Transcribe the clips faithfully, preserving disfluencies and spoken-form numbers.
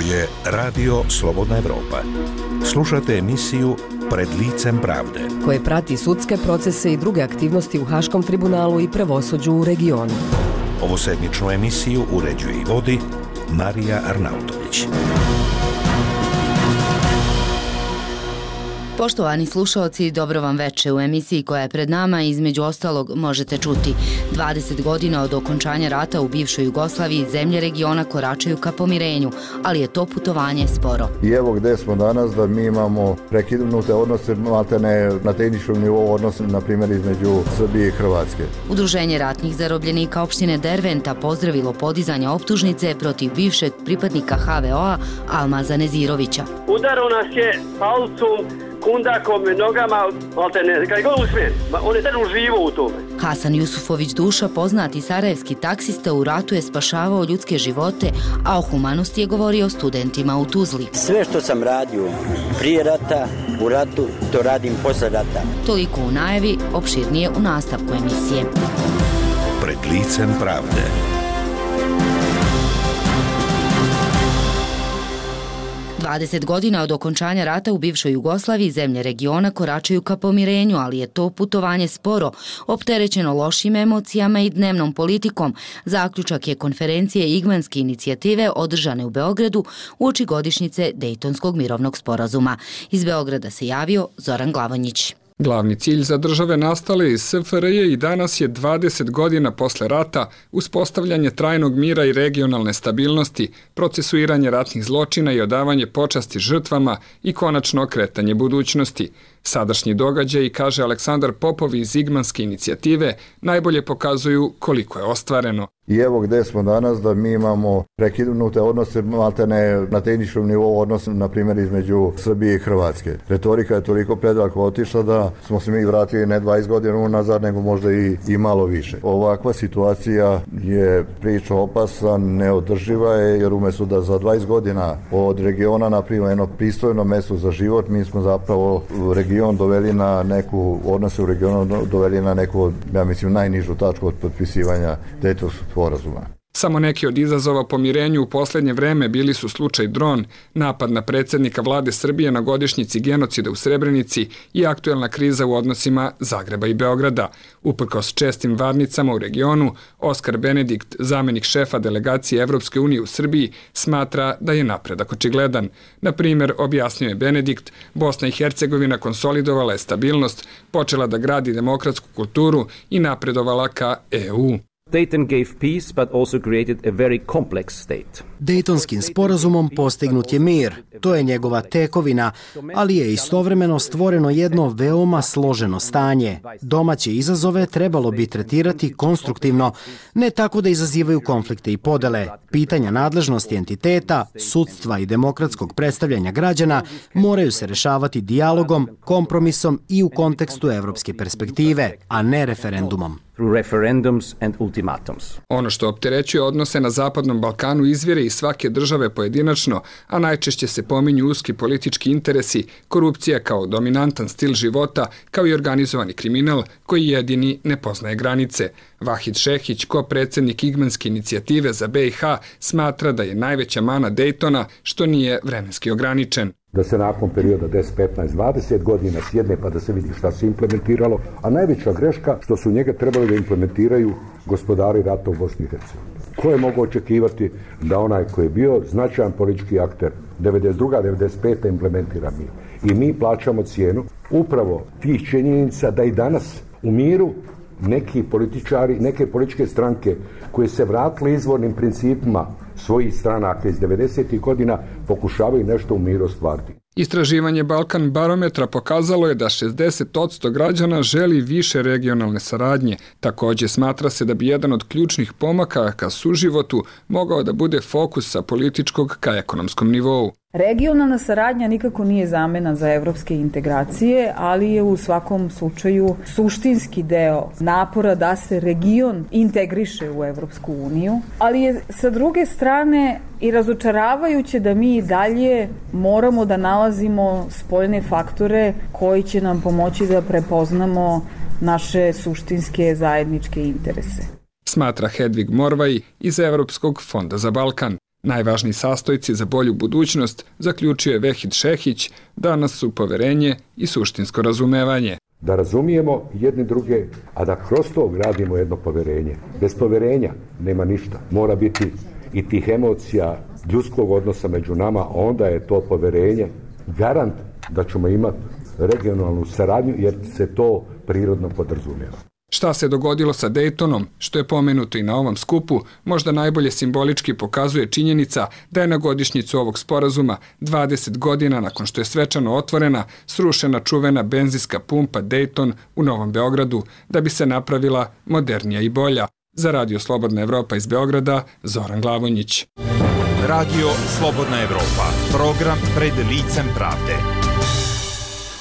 je Radio Slobodna Evropa. Slušate emisiju Pred licem pravde, koje prati sudske procese i druge aktivnosti u Haškom tribunalu i pravosuđu u regionu. Ovu sedmičnu emisiju uređuje i vodi Marija Arnautović. Poštovani slušaoci, dobro vam veče. U emisiji koja je pred nama, između ostalog, možete čuti dvadeset godina od okončanja rata u bivšoj Jugoslaviji, zemlje regiona koračaju ka pomirenju, ali je to putovanje sporo. I evo gde smo danas, da mi imamo prekinute odnose, maltene na tehničkom nivou odnose, na primjer, između Srbije i Hrvatske. Udruženje ratnih zarobljenika opštine Derventa pozdravilo podizanje optužnice protiv bivšeg pripadnika ha ve o-a Almaza Nezirovića. Udaro nas je palcom, kundakom, nogama, maltene, kaj god usmijen. On je tad uživo u tome. Hasan Jusufović Duša, poznati sarajevski taksista, u ratu je spašavao ljudske živote, a o humanosti je govorio studentima u Tuzli. Sve što sam radio prije rata, u ratu, to radim posle rata. Toliko u najavi, opširnije u nastavku emisije. Pred licem pravde. dvadeset godina od okončanja rata u bivšoj Jugoslaviji, zemlje regiona koračaju ka pomirenju, ali je to putovanje sporo, opterećeno lošim emocijama i dnevnom politikom. Zaključak je konferencije Igmanske inicijative održane u Beogradu uoči godišnjice Dejtonskog mirovnog sporazuma. Iz Beograda se javio Zoran Glavonjić. Glavni cilj za države nastale iz es fe er je i danas je dvadeset godina posle rata uspostavljanje trajnog mira i regionalne stabilnosti, procesuiranje ratnih zločina i odavanje počasti žrtvama i konačno okretanje budućnosti. Sadašnji događaji, kaže Aleksandar Popov iz Igmanske inicijative, najbolje pokazuju koliko je ostvareno. I evo gde smo danas, da mi imamo prekinute odnose, maltene na tehničkom nivou odnose, na primjer, između Srbije i Hrvatske. Retorika je toliko predaleko otišla da smo se mi vratili ne dvadeset godina unazad, nego možda i, i malo više. Ovakva situacija je priča opasna, neodrživa je, jer umjesto da za dvadeset godina od regiona napravimo jedno pristojno mesto za život, mi smo zapravo region doveli na neku, odnose u regionu doveli na neku, ja mislim, najnižu tačku od potpisivanja Dejtonskog sporazuma. Samo neki od izazova pomirenju u posljednje vreme bili su slučaj dron, napad na predsjednika vlade Srbije na godišnjici genocida u Srebrenici i aktuelna kriza u odnosima Zagreba i Beograda. Uprkos čestim varnicama u regionu, Oskar Benedikt, zamenik šefa delegacije Evropske unije u Srbiji, smatra da je napredak očigledan. Na primjer, objasnio je Benedikt, Bosna i Hercegovina konsolidovala je stabilnost, počela da gradi demokratsku kulturu i napredovala ka e u. Dayton gave peace, but also created a very complex state. Dejtonskim sporazumom postignut je mir. To je njegova tekovina, ali je istovremeno stvoreno jedno veoma složeno stanje. Domaće izazove trebalo bi tretirati konstruktivno, ne tako da izazivaju konflikte i podele. Pitanja nadležnosti entiteta, sudstva i demokratskog predstavljanja građana moraju se rešavati dijalogom, kompromisom i u kontekstu evropske perspektive, a ne referendumom. Referendums and ultimatums. Ono što opterećuje odnose na Zapadnom Balkanu izvire iz svake države pojedinačno, a najčešće se pominju uski politički interesi, korupcija kao dominantan stil života, kao i organizovani kriminal koji jedini ne poznaje granice. Vahid Šehić, ko-predsjednik Igmanske inicijative za be i ha, smatra da je najveća mana Dejtona što nije vremenski ograničen. Da se nakon perioda deset, petnaest, dvadeset godina sjedne pa da se vidi šta se implementiralo, a najveća greška što su njega trebali da implementiraju gospodari rata u Bosni i Hercegovini. Ko je mogao očekivati da onaj koji je bio značajan politički akter devedeset druga devedeset peta implementira mi. I mi plaćamo cijenu upravo tih činjenica da i danas u miru neki političari, neke političke stranke koje se vratile izvornim principima svojih stranaka iz devedesetih godina pokušavaju nešto u miru ostvariti. Istraživanje Balkan barometra pokazalo je da šezdeset posto građana želi više regionalne saradnje. Također smatra se da bi jedan od ključnih pomaka ka suživotu mogao da bude fokus sa političkog ka ekonomskom nivou. Regionalna saradnja nikako nije zamena za evropske integracije, ali je u svakom slučaju suštinski deo napora da se region integriše u Evropsku uniju, ali je sa druge strane i razočaravajuće da mi dalje moramo da nalazimo spoljne faktore koji će nam pomoći da prepoznamo naše suštinske zajedničke interese. Smatra Hedvig Morvaj iz Evropskog fonda za Balkan. Najvažniji sastojci za bolju budućnost, zaključio je Vehid Šehić, danas su poverenje i suštinsko razumevanje. Da razumijemo jedni druge, a da kroz to gradimo jedno poverenje. Bez poverenja nema ništa. Mora biti i tih emocija, ljudskog odnosa među nama, a onda je to poverenje garant da ćemo imati regionalnu saradnju, jer se to prirodno podrazumijeva. Šta se dogodilo sa Daytonom, što je pomenuto i na ovom skupu, možda najbolje simbolički pokazuje činjenica da je na godišnjicu ovog sporazuma dvadeset godina nakon što je svečano otvorena, srušena čuvena benzinska pumpa Dayton u Novom Beogradu, da bi se napravila modernija i bolja. Za Radio Slobodna Evropa iz Beograda, Zoran Glavonjić. Radio Slobodna Evropa, program pred licem pravde.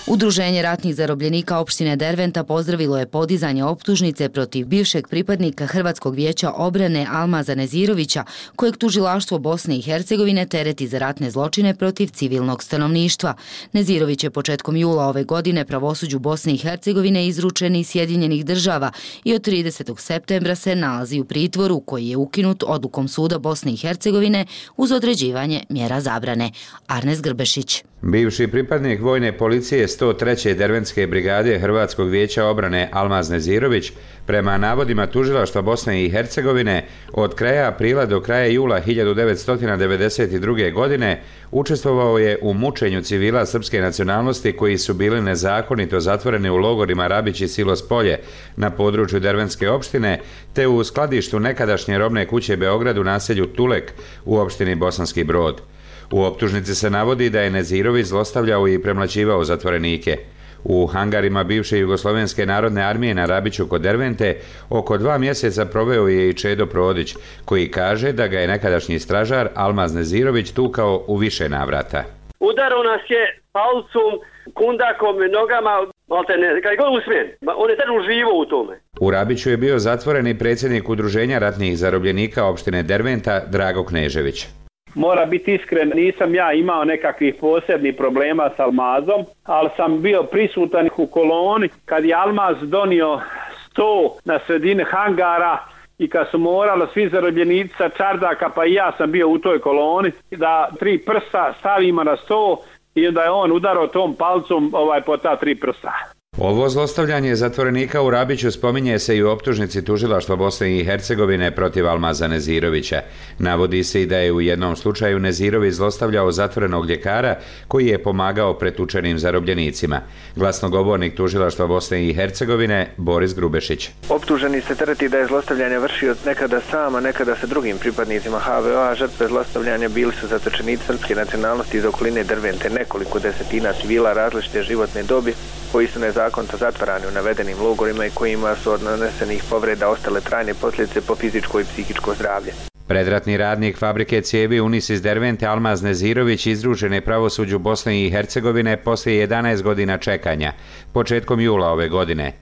Udruženje ratnih zarobljenika opštine Derventa pozdravilo je podizanje optužnice protiv bivšeg pripadnika Hrvatskog vijeća obrane Almaza Nezirovića, kojeg tužilaštvo Bosne i Hercegovine tereti za ratne zločine protiv civilnog stanovništva. Nezirović je početkom jula ove godine pravosuđu Bosne i Hercegovine izručen iz Sjedinjenih država i od tridesetog septembra se nalazi u pritvoru koji je ukinut odlukom suda Bosne i Hercegovine uz određivanje mjera zabrane. Arnes Grbešić. Bivši pripadnik vojne policije sto treće Derventske brigade Hrvatskog vijeća obrane Almaz Nezirović, prema navodima tužilaštva Bosne i Hercegovine, od kraja aprila do kraja jula hiljadu devetsto devedeset druge. godine učestvovao je u mučenju civila srpske nacionalnosti koji su bili nezakonito zatvoreni u logorima Rabić i Silos Polje na području Derventske opštine, te u skladištu nekadašnje robne kuće Beograd u naselju Tulek u opštini Bosanski Brod. U optužnici se navodi da je Nezirović zlostavljao i premlaćivao zatvorenike. U hangarima bivše Jugoslovenske narodne armije na Rabiću kod Dervente oko dva mjeseca proveo je i Čedo Prodić, koji kaže da ga je nekadašnji stražar Almaz Nezirović tukao u više navrata. Udarao nas je palcom, kundakom, nogama, maltene, kaj god usmijen. On je tad uživo u tome. U Rabiću je bio zatvoren i predsjednik Udruženja ratnih zarobljenika opštine Derventa Drago Knežević. Mora biti iskren, nisam ja imao nekakvih posebnih problema s Almazom, ali sam bio prisutan u koloni kad je Almaz donio sto na sredini hangara i kad su morali svi zarobljenici sa čardaka, pa i ja sam bio u toj koloni, da tri prsta stavimo na sto i onda je on udarao tom palcom ovaj, po ta tri prsta. Ovo zlostavljanje zatvorenika u Rabiću spominje se i u optužnici tužilaštva Bosne i Hercegovine protiv Almaza Nezirovića. Navodi se i da je u jednom slučaju Nezirović zlostavljao zatvorenog ljekara koji je pomagao pretučenim zarobljenicima. Glasnogovornik tužilaštva Bosne i Hercegovine Boris Grubešić. Optuženi se tereti da je zlostavljanje vršio nekada sam, a nekada sa drugim pripadnicima ha ve o, a žrtve zlostavljanja bili su zatočenici srpske nacionalnosti iz okoline Dervente, nekoliko desetina civila različite životne dobi koji su nezakonito zatvarani u navedenim logorima i kojima su od nanesenih povreda ostale trajne posljedice po fizičko i psihičko zdravlje. Predratni radnik fabrike cijevi Unis iz Dervente Almaz Nezirović izručen je pravosuđu Bosne i Hercegovine poslije jedanaest godina čekanja, početkom jula ove godine.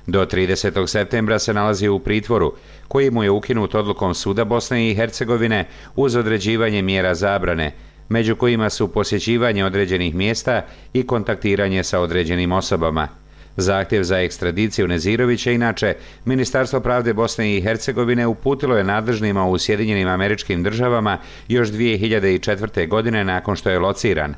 Do tridesetog septembra se nalazi u pritvoru, koji mu je ukinut odlukom suda Bosne i Hercegovine uz određivanje mjera zabrane, među kojima su posjećivanje određenih mjesta i kontaktiranje sa određenim osobama. Zahtjev za ekstradiciju Nezirovića, inače, Ministarstvo pravde Bosne i Hercegovine uputilo je nadležnima u Sjedinjenim Američkim Državama još dvije hiljade četvrte. godine nakon što je lociran.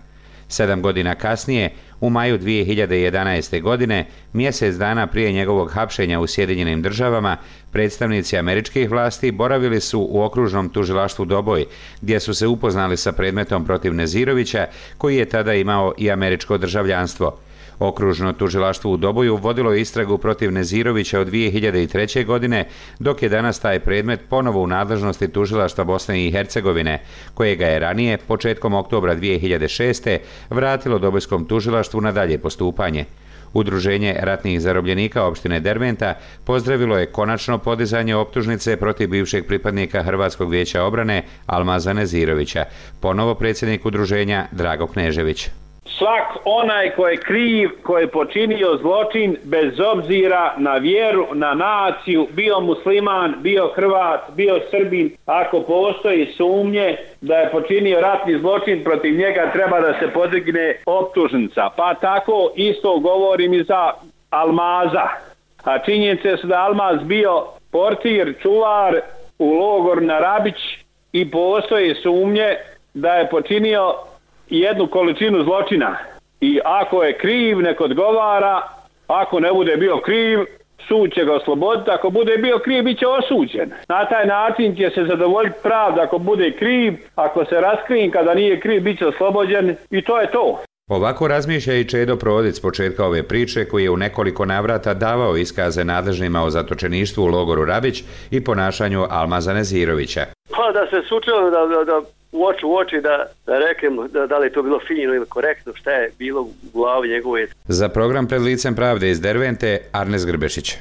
Sedam godina kasnije, u maju dvije hiljade jedanaeste. godine, mjesec dana prije njegovog hapšenja u Sjedinjenim Državama, predstavnici američkih vlasti boravili su u okružnom tužilaštvu Doboj, gdje su se upoznali sa predmetom protiv Nezirovića, koji je tada imao i američko državljanstvo. Okružno tužilaštvo u Doboju vodilo je istragu protiv Nezirovića od dvije hiljade treće. godine, dok je danas taj predmet ponovo u nadležnosti tužilaštva Bosne i Hercegovine, kojega je ranije, početkom oktobra dvije hiljade šeste. vratilo Dobojskom tužilaštvu na dalje postupanje. Udruženje ratnih zarobljenika opštine Derventa pozdravilo je konačno podizanje optužnice protiv bivšeg pripadnika Hrvatskog vijeća obrane Almaza Nezirovića, ponovo predsjednik udruženja Drago Knežević. Svak onaj ko je kriv, ko je počinio zločin, bez obzira na vjeru, na naciju, bio musliman, bio Hrvat, bio Srbin, ako postoji sumnje da je počinio ratni zločin, protiv njega treba da se podigne optužnica. Pa tako isto govorim i za Almaza. A činjenice su da Almaz bio portir, čuvar u logor na Rabić i postoje sumnje da je počinio jednu količinu zločina. I ako je kriv, nek odgovara, ako ne bude bio kriv, sud će ga osloboditi, ako bude bio kriv, bit će osuđen. Na taj način će se zadovoljiti pravda ako bude kriv, ako se raskrin kada nije kriv, bit će oslobođen i to je to. Ovako razmišlja i Čedo Prodic s početka ove priče, koji je u nekoliko navrata davao iskaze nadležnima o zatočeništvu u logoru Rabić i ponašanju Almaza Nezirovića. Pa da se sučelo da, da, da u oči u oči da, da reknem da, da li je to bilo fino ili korektno, šta je bilo u glavi njegove. Za program Pred licem pravde iz Dervente, Arnes Grbešić.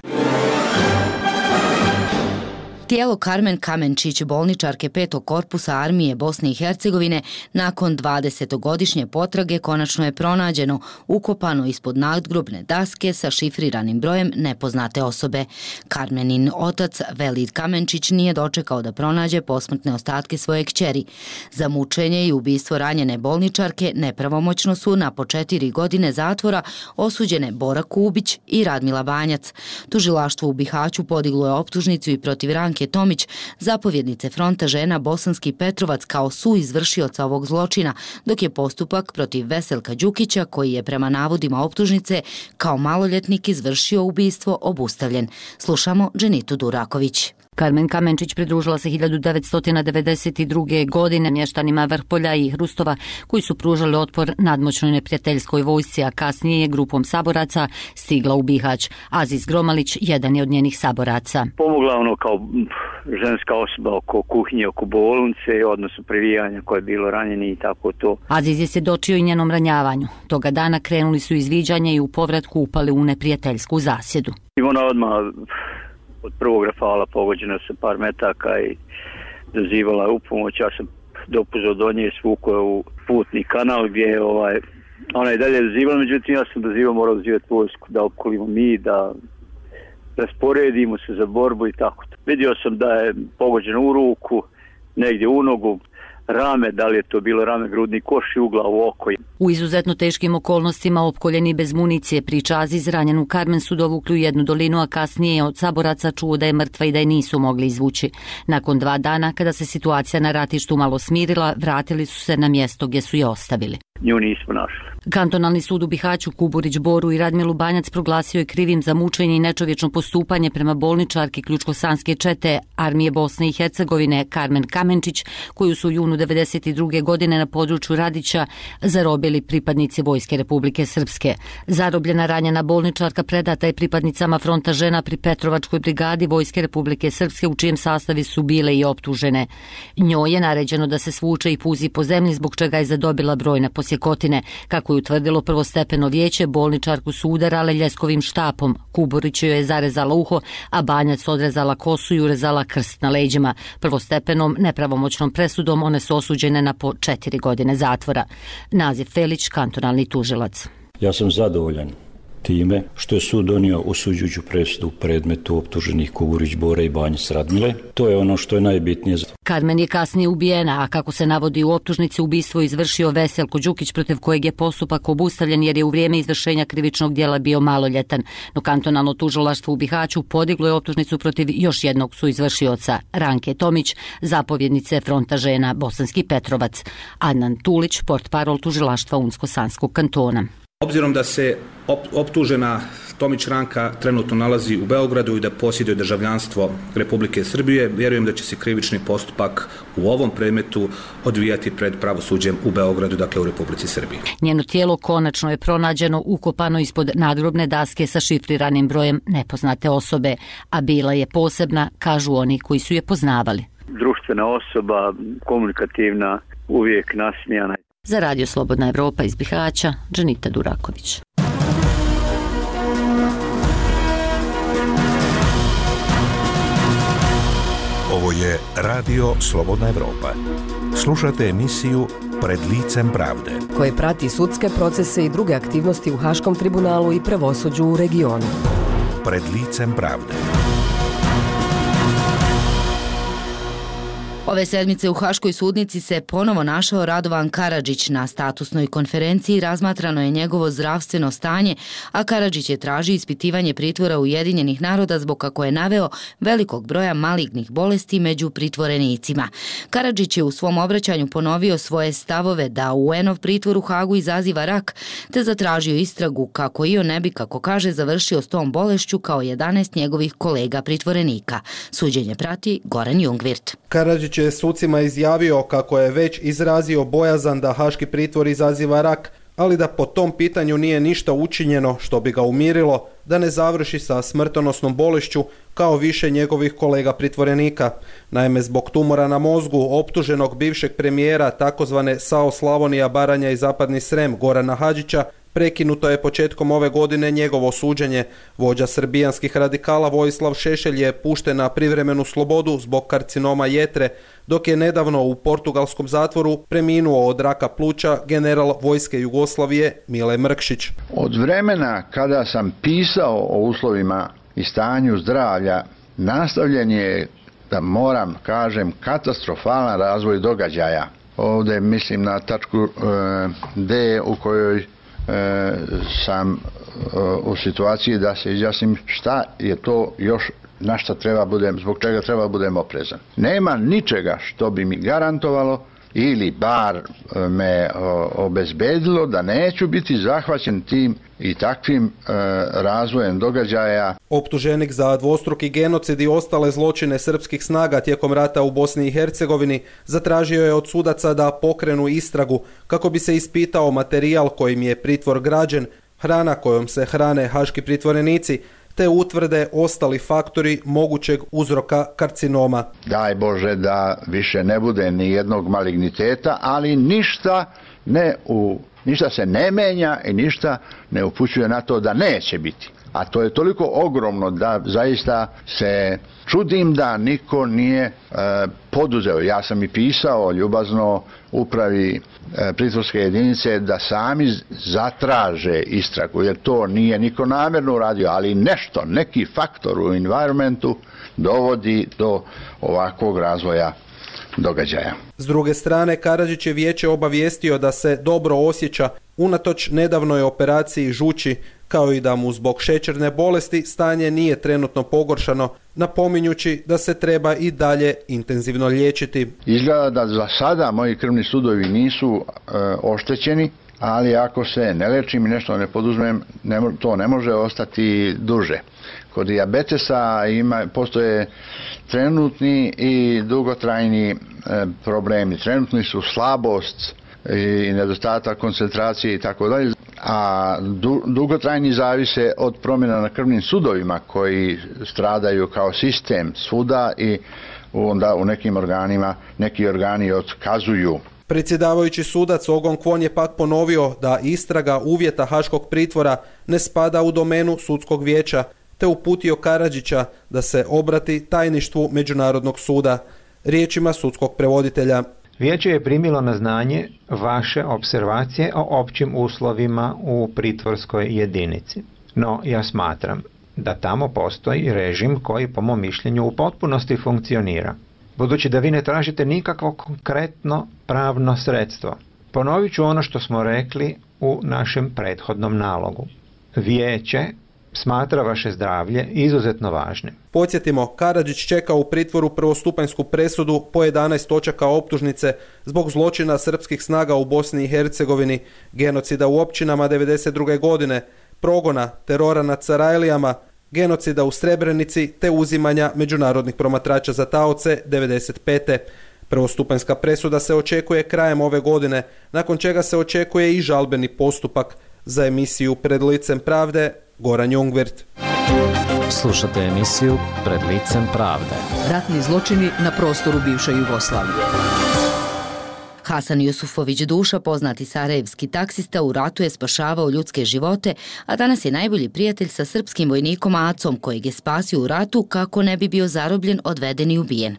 Tijelo Karmen Kamenčić, bolničarke petog korpusa armije Bosne i Hercegovine, nakon dvadesetogodišnje potrage konačno je pronađeno, ukopano ispod nadgrobne daske sa šifriranim brojem nepoznate osobe. Karmenin otac, Velid Kamenčić, nije dočekao da pronađe posmrtne ostatke svoje kćeri. Za mučenje i ubistvo ranjene bolničarke nepravomoćno su na po četiri godine zatvora osuđene Bora Kubić i Radmila Banjac. Tužilaštvo u Bihaću podiglo je optužnicu i protiv Ranke Tomić, zapovjednice fronta žena Bosanski Petrovac, kao suizvršioca ovog zločina, dok je postupak protiv Veselka Đukića, koji je prema navodima optužnice kao maloljetnik izvršio ubistvo, obustavljen. Slušamo Dženitu Duraković. Karmen Kamenčić pridružila se hiljadu devetsto devedeset druge. godine mještanima Vrpolja i Hrustova, koji su pružali otpor nadmoćnoj neprijateljskoj vojsci, a kasnije je grupom saboraca stigla u Bihać. Aziz Gromalić jedan je od njenih saboraca. Pomogla ono kao ženska osoba oko kuhinje, oko bolnice, odnosno privijanja koje je bilo ranjeni i tako to. Aziz je svjedočio i njenom ranjavanju. Toga dana krenuli su izviđanja i u povratku upali u neprijateljsku zasjedu. I ona odmah od prvog rafala pogođena sa par metaka i dozivala je upomoć. Ja sam dopuzao do nje, svukao je u putni kanal gdje je ovaj, ona je dalje dozivala, međutim ja sam dozivao, morao dozivati vojsku da opkolimo mi, da rasporedimo se za borbu i tako. Vidio sam da je pogođena u ruku, negdje u nogu, rame, da li je to bilo rame, grudni koš i u glavu, oko. U izuzetno teškim okolnostima, opkoljeni bez municije, priča Aziz, ranjenu Karmen su dovukli u jednu dolinu, a kasnije je od saboraca čuo da je mrtva i da je nisu mogli izvući. Nakon dva dana, kada se situacija na ratištu malo smirila, vratili su se na mjesto gdje su je ostavili. Nju nismo našli. Kantonalni sud u Bihaću Kuburić Boru i Radmilu Banjac proglasio je krivim za mučenje i nečovječno postupanje prema bolničarki ključko-sanske čete armije Bosne i Hercegovine Karmen Kamenčić, koju su u junu devedeset druge. godine na području Radića zarobili pripadnici Vojske Republike Srpske. Zarobljena ranjena bolničarka predata je pripadnicama fronta žena pri Petrovačkoj brigadi Vojske Republike Srpske, u čijem sastavi su bile i optužene. Njoj je naređeno da se svuče i puzi po zemlji, zbog čega je zadobila brojne posjekotine. Kako je utvrdilo prvostepeno vijeće, bolničarku su udarale ljeskovim štapom. Kuburić joj je zarezala uho, a Banjac odrezala kosu i urezala krst na leđima. Prvostepenom nepravomoćnom presudom one su osuđene na po četiri godine zatvora. Nazif Felić, kantonalni tužilac. Ja sam zadovoljan time što je sud donio osuđujuću presudu u predmetu optuženih Kuburić, Bora i Banjac Radmile. To je ono što je najbitnije. Karmen je kasnije ubijena, a kako se navodi u optužnici, ubistvo izvršio Veselko Đukić, protiv kojeg je postupak obustavljen jer je u vrijeme izvršenja krivičnog djela bio maloljetan. No kantonalno tužilaštvo u Bihaću podiglo je optužnicu protiv još jednog suizvršioca, Ranke Tomić, zapovjednice fronta žena Bosanski Petrovac. Adnan Tulić, portparol tužilaštva Unsko-Sanskog kantona. Obzirom da se optužena Tomić Ranka trenutno nalazi u Beogradu i da posjeduje državljanstvo Republike Srbije, vjerujem da će se krivični postupak u ovom predmetu odvijati pred pravosuđem u Beogradu, dakle u Republici Srbiji. Njeno tijelo konačno je pronađeno ukopano ispod nadgrobne daske sa šifriranim brojem nepoznate osobe, a bila je posebna, kažu oni koji su je poznavali. Društvena osoba, komunikativna, uvijek nasmijana. Za Radio Slobodna Evropa iz Bihaća, Džanita Duraković. Ovo je Radio Slobodna Evropa. Slušate emisiju Pred licem pravde, koje prati sudske procese i druge aktivnosti u Haškom tribunalu i pravosuđu u regionu. Pred licem pravde. Ove sedmice u Haškoj sudnici se ponovo našao Radovan Karadžić. Na statusnoj konferenciji razmatrano je njegovo zdravstveno stanje, a Karadžić je tražio ispitivanje pritvora Ujedinjenih naroda zbog kako je naveo velikog broja malignih bolesti među pritvorenicima. Karadžić je u svom obraćanju ponovio svoje stavove da U N-ov pritvor u Hagu izaziva rak, te zatražio istragu kako i on ne bi, kako kaže, završio s tom bolešću kao jedanaest njegovih kolega pritvorenika. Suđenje prati Goran Jungvirt. Karadžić je sucima izjavio kako je već izrazio bojazan da haški pritvor izaziva rak, ali da po tom pitanju nije ništa učinjeno što bi ga umirilo da ne završi sa smrtonosnom bolešću kao više njegovih kolega pritvorenika. Naime, zbog tumora na mozgu optuženog bivšeg premijera takozvane S A O Slavonija, Baranja i Zapadni Srem Gorana Hadžića prekinuto je početkom ove godine njegovo suđenje. Vođa srbijanskih radikala Vojislav Šešelj je pušten na privremenu slobodu zbog karcinoma jetre, dok je nedavno u portugalskom zatvoru preminuo od raka pluća general vojske Jugoslavije Mile Mrkšić. Od vremena kada sam pisao o uslovima i stanju zdravlja, nastavljen je, da moram kažem, katastrofalan razvoj događaja. Ovdje mislim na tačku e, D u kojoj E, sam e, u situaciji da se izjasnim šta je to još, na šta treba budem, zbog čega treba budem oprezan. Nema ničega što bi mi garantovalo ili bar me o, obezbedilo da neću biti zahvaćen tim i takvim e, razvojem događaja. Optuženik za dvostruki genocid i ostale zločine srpskih snaga tijekom rata u Bosni i Hercegovini zatražio je od sudaca da pokrenu istragu kako bi se ispitao materijal kojim je pritvor građen, hrana kojom se hrane haški pritvorenici, te utvrde ostali faktori mogućeg uzroka karcinoma. Daj Bože da više ne bude ni jednog maligniteta, ali ništa ne u Ništa se ne menja i ništa ne upućuje na to da neće biti. A to je toliko ogromno da zaista se čudim da niko nije e, poduzeo. Ja sam i pisao ljubazno upravi e, pritvorske jedinice da sami zatraže istragu, jer to nije niko namjerno uradio, ali nešto, neki faktor u environmentu dovodi do ovakvog razvoja događaja. S druge strane, Karadžić je vijeće obavijestio da se dobro osjeća unatoč nedavnoj operaciji žuči, kao i da mu zbog šećerne bolesti stanje nije trenutno pogoršano, napominjući da se treba i dalje intenzivno liječiti. Izgleda da za sada moji krvni sudovi nisu e, oštećeni, ali ako se ne lečim i nešto ne poduzmem, ne, to ne može ostati duže. Kod dijabetesa ima, postoje trenutni i dugotrajni e, problemi. Trenutni su slabost i nedostatak koncentracije i tako dalje, a du, dugotrajni zavise od promjena na krvnim sudovima koji stradaju kao sistem svuda i onda u nekim organima neki organi otkazuju. Predsjedavajući sudac Ogon Kwon je pak ponovio da istraga uvjeta haškog pritvora ne spada u domenu sudskog vijeća, te uputio Karadžića da se obrati tajništvu Međunarodnog suda. Riječima sudskog prevoditelja. Vijeće je primilo na znanje vaše observacije o općim uslovima u pritvorskoj jedinici. No, ja smatram da tamo postoji režim koji po mom mišljenju u potpunosti funkcionira. Budući da vi ne tražite nikakvo konkretno pravno sredstvo, ponovit ću ono što smo rekli u našem prethodnom nalogu. Vijeće smatra vaše zdravlje izuzetno važnim. Podsjetimo, Karadžić čeka u pritvoru prvostupanjsku presudu po jedanaest točaka optužnice zbog zločina srpskih snaga u Bosni i Hercegovini, genocida u općinama devedeset druge godine, progona, terora nad Sarajlijama, genocida u Srebrenici te uzimanja međunarodnih promatrača za taoce devedeset pete. Prvostupanjska presuda se očekuje krajem ove godine, nakon čega se očekuje i žalbeni postupak. Za emisiju Pred licem pravde, Goran Jungvirt. Slušate emisiju Pred licem pravde. Ratni zločini na prostoru bivše Jugoslavije. Hasan Jusufović Duša, poznati sarajevski taksista, u ratu je spašavao ljudske živote, a danas je najbolji prijatelj sa srpskim vojnikom Acom, kojeg je spasio u ratu kako ne bi bio zarobljen, odveden i ubijen.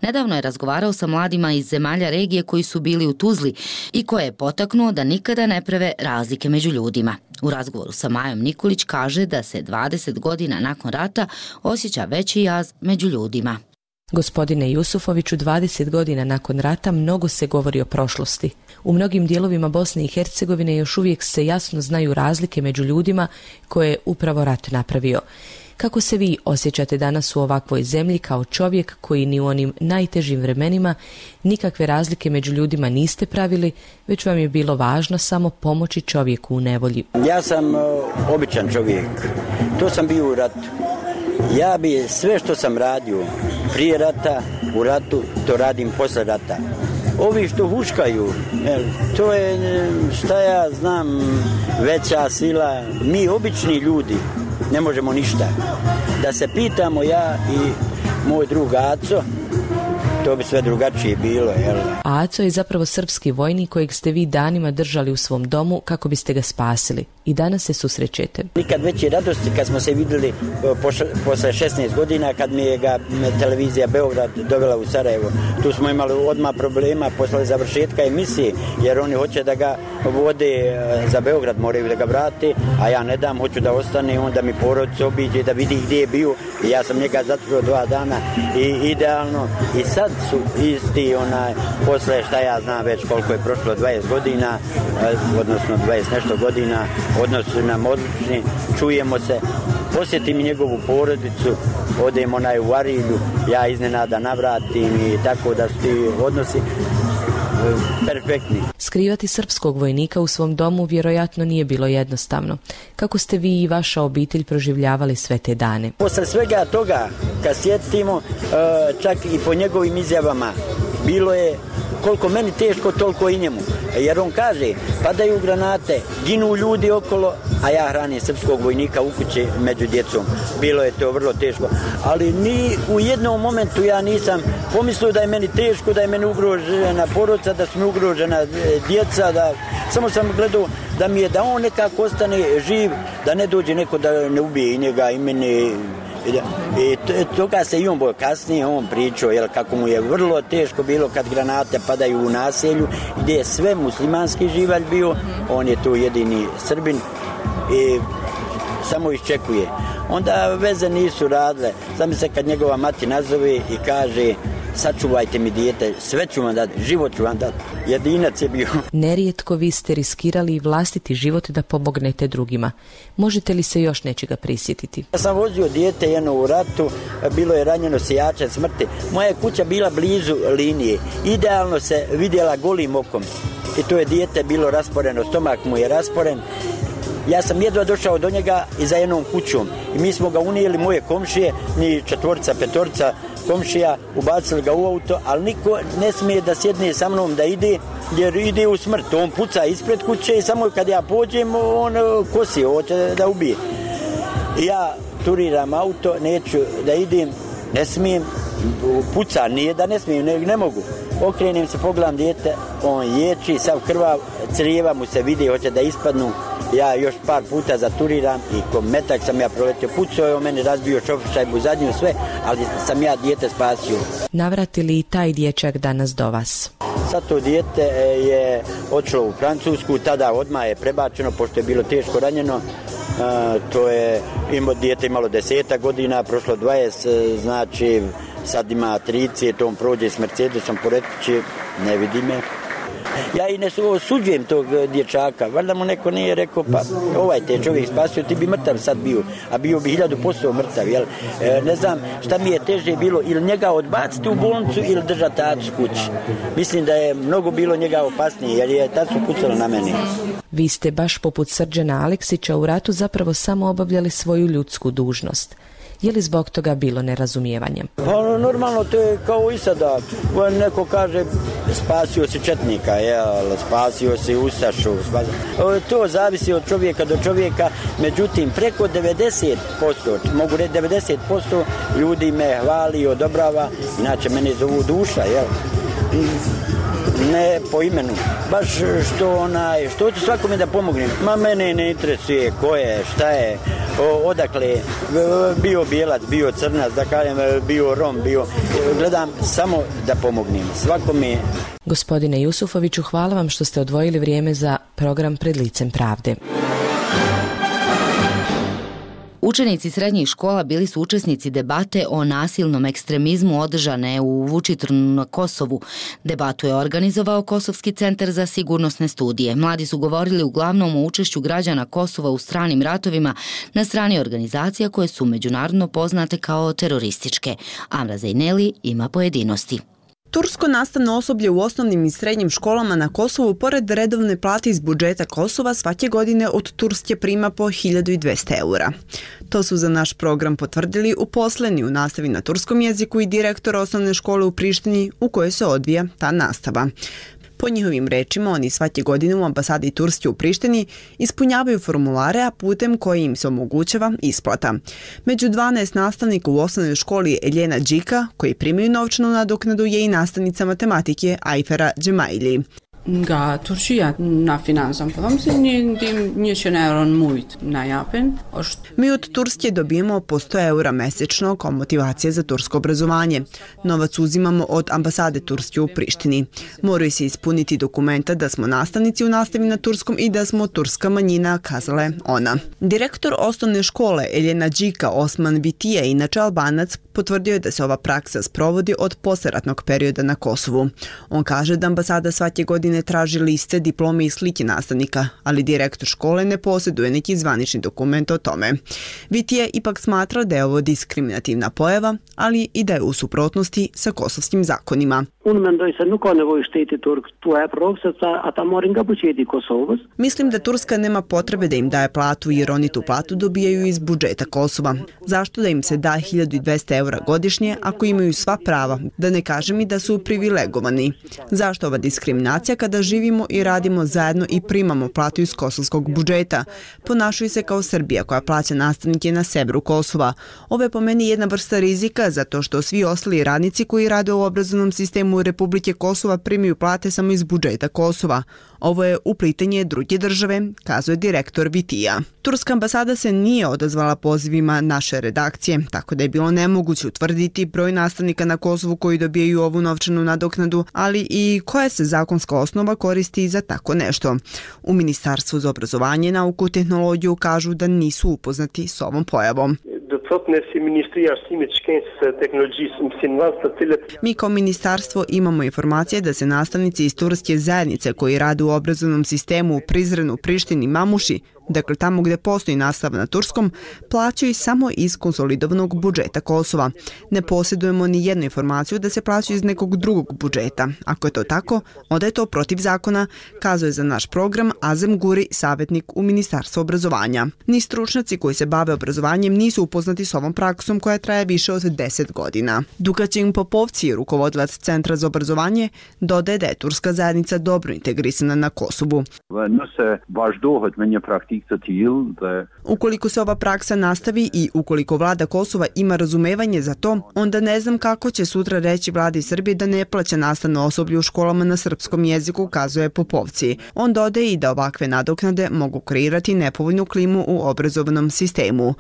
Nedavno je razgovarao sa mladima iz zemalja regije koji su bili u Tuzli i koje je potaknuo da nikada ne prave razlike među ljudima. U razgovoru sa Majom Nikolić kaže da se dvadeset godina nakon rata osjeća veći jaz među ljudima. Gospodine Jusufoviću, dvadeset godina nakon rata mnogo se govori o prošlosti. U mnogim dijelovima Bosne i Hercegovine još uvijek se jasno znaju razlike među ljudima koje je upravo rat napravio. Kako se vi osjećate danas u ovakvoj zemlji kao čovjek koji ni u onim najtežim vremenima nikakve razlike među ljudima niste pravili, već vam je bilo važno samo pomoći čovjeku u nevolji? Ja sam uh, običan čovjek. To sam bio u ratu. Ja bi sve što sam radio prije rata, u ratu, to radim posle rata. Ovi što huškaju, to je, šta ja znam, veća sila. Mi, obični ljudi, ne možemo ništa. Da se pitamo ja i moj drug Aco, to bi sve drugačije bilo, jel? Aco je zapravo srpski vojnik kojeg ste vi danima držali u svom domu kako biste ga spasili. I danas se susrećete. Nikad veće radosti kad smo se vidjeli posle šesnaest godina kad mi je ga televizija Beograd dovela u Sarajevo. Tu smo imali odmah problema posle završetka emisije, jer oni hoće da ga vode za Beograd, moraju da ga vrate, a ja ne dam, hoću da ostane, onda mi porodica obiđe da vidi gdje je bio. I ja sam njega zatvorio dva dana i idealno. I sad su isti onaj, posle šta ja znam već koliko je prošlo, dvadeset godina, odnosno dvadeset nešto godina, odnos su nam odlični, čujemo se, posjetim njegovu porodicu, odemo onaj u Arilju, ja iznenada navratim i tako da su ti odnosi perfektni. Skrivati srpskog vojnika u svom domu vjerojatno nije bilo jednostavno. Kako ste vi i vaša obitelj proživljavali sve te dane? Posle svega toga, kad sjetimo, čak i po njegovim izjavama, bilo je koliko meni teško, toliko i njemu. Jer on kaže, padaju granate, ginu ljudi okolo, a ja hranim srpskog vojnika u kući među djecom. Bilo je to vrlo teško. Ali ni u jednom momentu ja nisam pomislio da je meni teško, da je meni ugrožena porodica, da su mi ugrožena djeca, da samo sam gledao da mi je da on nekako ostane živ, da ne dođe neko da ne ubije i njega i mene. I toga se i on bojo kasnije on pričao, jel, kako mu je vrlo teško bilo kad granate padaju u naselju gdje je sve muslimanski živalj bio, on je tu jedini Srbin i samo iščekuje. Onda veze nisu radile. Znam se kad njegova mati nazove i kaže, sačuvajte mi dijete, sve ću vam dati, život ću vam dati. Jedinac je bio. Nerijetko vi ste riskirali i vlastiti život da pomognete drugima. Možete li se još nečega prisjetiti? Ja sam vozio dijete jedno u ratu, bilo je ranjeno sijače smrti. Moja kuća bila blizu linije, idealno se vidjela golim okom. I to je dijete bilo rasporeno, stomak mu je rasporen. Ja sam jedva došao do njega i za jednom kućom. I mi smo ga unijeli, moje komšije, ni četvorca, petorca komšija, ubacili ga u auto, ali niko ne smije da sjedne sa mnom da ide, jer ide u smrt. On puca ispred kuće i samo kad ja pođem, on kosi, hoće da ubije. I ja turiram auto, neću da idem, ne smijem, puca, nije da ne smijem, ne, ne mogu. Okrenem se, pogledam dijete, on ječi, sav krvav, crijeva mu se vidi, hoće da ispadnu. Ja još par puta zaturiram i ko metak sam ja proletio. Pucao je o mene, razbio šofer šajbu zadnju, sve, ali sam ja dijete spasio. Navrati li i taj dječak danas do vas? Sad to dijete je odšlo u Francusku, tada odmah je prebačeno, pošto je bilo teško ranjeno. Uh, to je, ima, dijete imalo deseta godina, prošlo dvadeset, znači sad ima trideset, on prođe s Mercedesom pored kuće, ne vidi me. Ja i ne osuđujem tog dječaka, valjda mu neko nije rekao, pa ovaj te čovjek spasio, ti bi mrtav sad bio, a bio bi hiljadu posto mrtav, jel? E, ne znam šta mi je teže bilo, ili njega odbaciti u bolnicu ili držati tacu kući. Mislim da je mnogo bilo njega opasnije, jer je tacu pucala na meni. Vi ste baš poput Srđana Aleksića u ratu zapravo samo obavljali svoju ljudsku dužnost. Je li zbog toga bilo nerazumijevanje? Pa normalno, to je kao i sada. Neko kaže spasio si četnika, jel, spasio si ustašu. Spasio. To zavisi od čovjeka do čovjeka, međutim preko devedeset posto, mogu reći devedeset posto ljudi me hvali i odobrava, inače mene zovu duša, jel? Ne po imenu, baš što onaj, što ću svakome da pomognem. Ma mene ne interesuje ko je, šta je, o, odakle, bio bijelac, bio crnac, da kažem, bio Rom, bio, gledam samo da pomognem svakome. Gospodine Jusufoviću, hvala vam što ste odvojili vrijeme za program Pred licem pravde. Učenici srednjih škola bili su učesnici debate o nasilnom ekstremizmu održane u Vučitrnu na Kosovu. Debatu je organizovao Kosovski centar za sigurnosne studije. Mladi su govorili uglavnom o učešću građana Kosova u stranim ratovima na strani organizacija koje su međunarodno poznate kao terorističke. Amra Zejneli ima pojedinosti. Tursko nastavno osoblje u osnovnim i srednjim školama na Kosovu pored redovne plate iz budžeta Kosova svake godine od Turske prima po hiljadu dvesta eura. To su za naš program potvrdili uposleni u nastavi na turskom jeziku i direktor osnovne škole u Prištini u kojoj se odvija ta nastava. Po njihovim rečima, oni svake godine u ambasadi Turske u Prištini ispunjavaju formulare, a putem koji im se omogućava isplata. Među dvanaest nastavnika u osnovnoj školi Eljena Đika, koji primaju novčanu nadoknadu, je i nastavnica matematike Ajfera Džemaili. Nga Turqia na financon, po them se një ndim njëqind euro në mujt na japin. Mi od Turske dobijemo po sto eura mesečno kao motivacija za tursko obrazovanje. Novac uzimamo od ambasade Turske u Prištini. Moraju se ispuniti dokumenta da smo nastavnici u nastavi na turskom i da smo turska manjina, kazala je ona. Direktor osnovne škole Eljena Đika Osman Vitija, inače Albanac, potvrdio je da se ova praksa sprovodi od posleratnog perioda na Kosovu. On kaže da ambasada svake godine ne traži liste, diplome i slike nastavnika, ali direktor škole ne posjeduje neki zvanični dokument o tome. Vitija ipak smatra da je ovo diskriminativna pojava, ali i da je u suprotnosti sa kosovskim zakonima. Mislim da Turska nema potrebe da im daje platu jer oni tu platu dobijaju iz budžeta Kosova. Zašto da im se da hiljadu dvesta eura godišnje ako imaju sva prava, da ne kažem i da su privilegovani? Zašto ova diskriminacija kada živimo i radimo zajedno i primamo platu iz kosovskog budžeta? Ponašaju se kao Srbija koja plaća nastavnike na severu Kosova. Ovo je po meni jedna vrsta rizika zato što svi ostali radnici koji rade u obrazovnom sistemu Republike Kosova primaju plate samo iz budžeta Kosova. Ovo je uplitanje druge države, kazuje direktor Vitija. Turska ambasada se nije odazvala pozivima naše redakcije, tako da je bilo nemoguće utvrditi broj nastavnika na Kosovu koji dobijaju ovu novčanu nadoknadu, ali i koja se zakonska osnova koristi za tako nešto. U Ministarstvu za obrazovanje, nauku i tehnologiju kažu da nisu upoznati s ovom pojavom. Mi kao ministarstvo imamo informacije da se nastavnici iz turske zajednice koji rade u obrazovnom sistemu u Prizrenu, Prištini, Mamuši, dakle tamo gde postoji nastava na turskom, plaćaju samo iz konsolidovanog budžeta Kosova. Ne posjedujemo ni jednu informaciju da se plaćaju iz nekog drugog budžeta. Ako je to tako, onda je to protiv zakona, kazuje za naš program Azem Guri, savjetnik u Ministarstvu obrazovanja. Ni stručnjaci koji se bave obrazovanjem nisu upoznati s ovom praksom koja traje više od deset godina. Dukačin Popovci, rukovodilac Centra za obrazovanje, dodaje da je turska zajednica dobro integrisana na Kosovu. Ukoliko se ova praksa nastavi i ukoliko vlada Kosova ima razumevanje za to, onda ne znam kako će sutra reći vladi Srbije da ne plaća nastavno osoblje u školama na srpskom jeziku, kazuje Popovci. On dodaje i da ovakve nadoknade mogu kreirati nepovoljnu klimu u obrazovnom sistemu.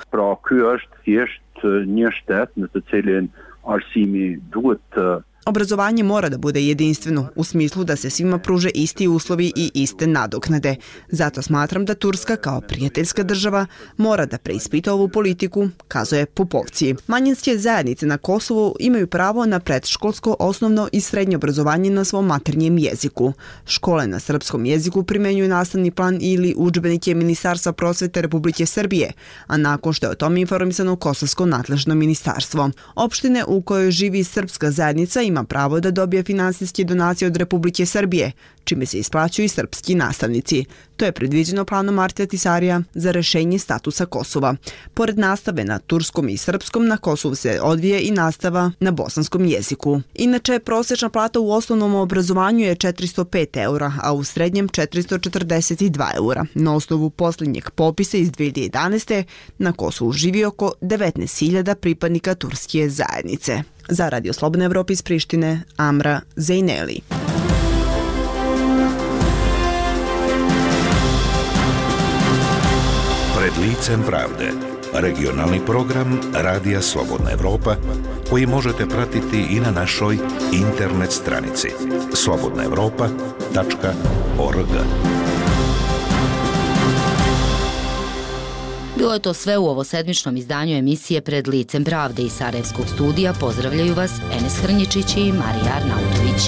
Obrazovanje mora da bude jedinstveno u smislu da se svima pruže isti uslovi i iste nadoknade. Zato smatram da Turska kao prijateljska država mora da preispita ovu politiku, kazuje Popovci. Manjinske zajednice na Kosovu imaju pravo na predškolsko, osnovno i srednje obrazovanje na svom maternjem jeziku. Škole na srpskom jeziku primenjuju nastavni plan ili udžbenike Ministarstva prosvete Republike Srbije, a nakon što je o tome informisano Kosovsko nadležno ministarstvo. Opštine u kojoj živi srpska zajednica ima pravo da dobije finansijske donacije od Republike Srbije, čime se isplaćuju i srpski nastavnici. To je predviđeno planom Martija Tisarija za rešenje statusa Kosova. Pored nastave na turskom i srpskom, na Kosovu se odvije i nastava na bosanskom jeziku. Inače, prosječna plata u osnovnom obrazovanju je četiristo pet eura, a u srednjem četiristo četrdeset dva eura. Na osnovu posljednjeg popisa iz dve hiljade jedanaeste. na Kosovu živi oko devetnaest hiljada pripadnika turske zajednice. Za Radio Slobodna Evropa iz Prištine, Amra Zejneli. Pred licem pravde. Regionalni program Radija Slobodna Evropa koji možete pratiti i na našoj internet stranici slobodna evropa tačka org. Bilo je to sve u ovosedmičnom izdanju emisije Pred licem pravde iz Sarajevskog studija. Pozdravljaju vas Enes Hrnječić i Marija Arnautović.